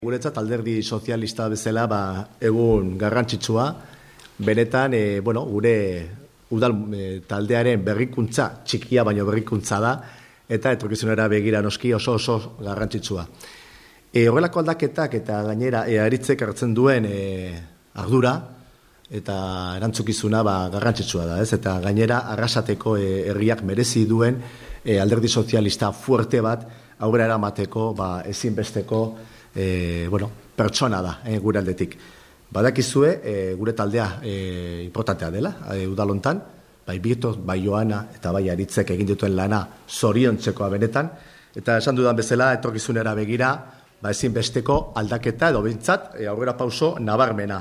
Guretzat alderdi sozialista bezala egun garrantzitsua, benetan gure udal taldearen berrikuntza, txikia baino berrikuntza da, eta etorkizunera begira noski oso garrantzitsua. Horrelako aldaketak eta gainera aritzek hartzen duen ardura eta erantzukizuna garrantzitsua da, ez? Eta gainera Arrasateko herriak merezi duen alderdi sozialista fuerte bat aurrera eramateko ezinbesteko pertsona da gure aldetik. Badakizue, gure taldea importantea dela, udalontan, bai Birtos, bai Joana eta bai Aritzek egin dituen lana zoriontzekoa benetan, eta esan dudan bezala etorkizunera begira, ezinbesteko aldaketa edo behintzat aurrera pauso nabarmena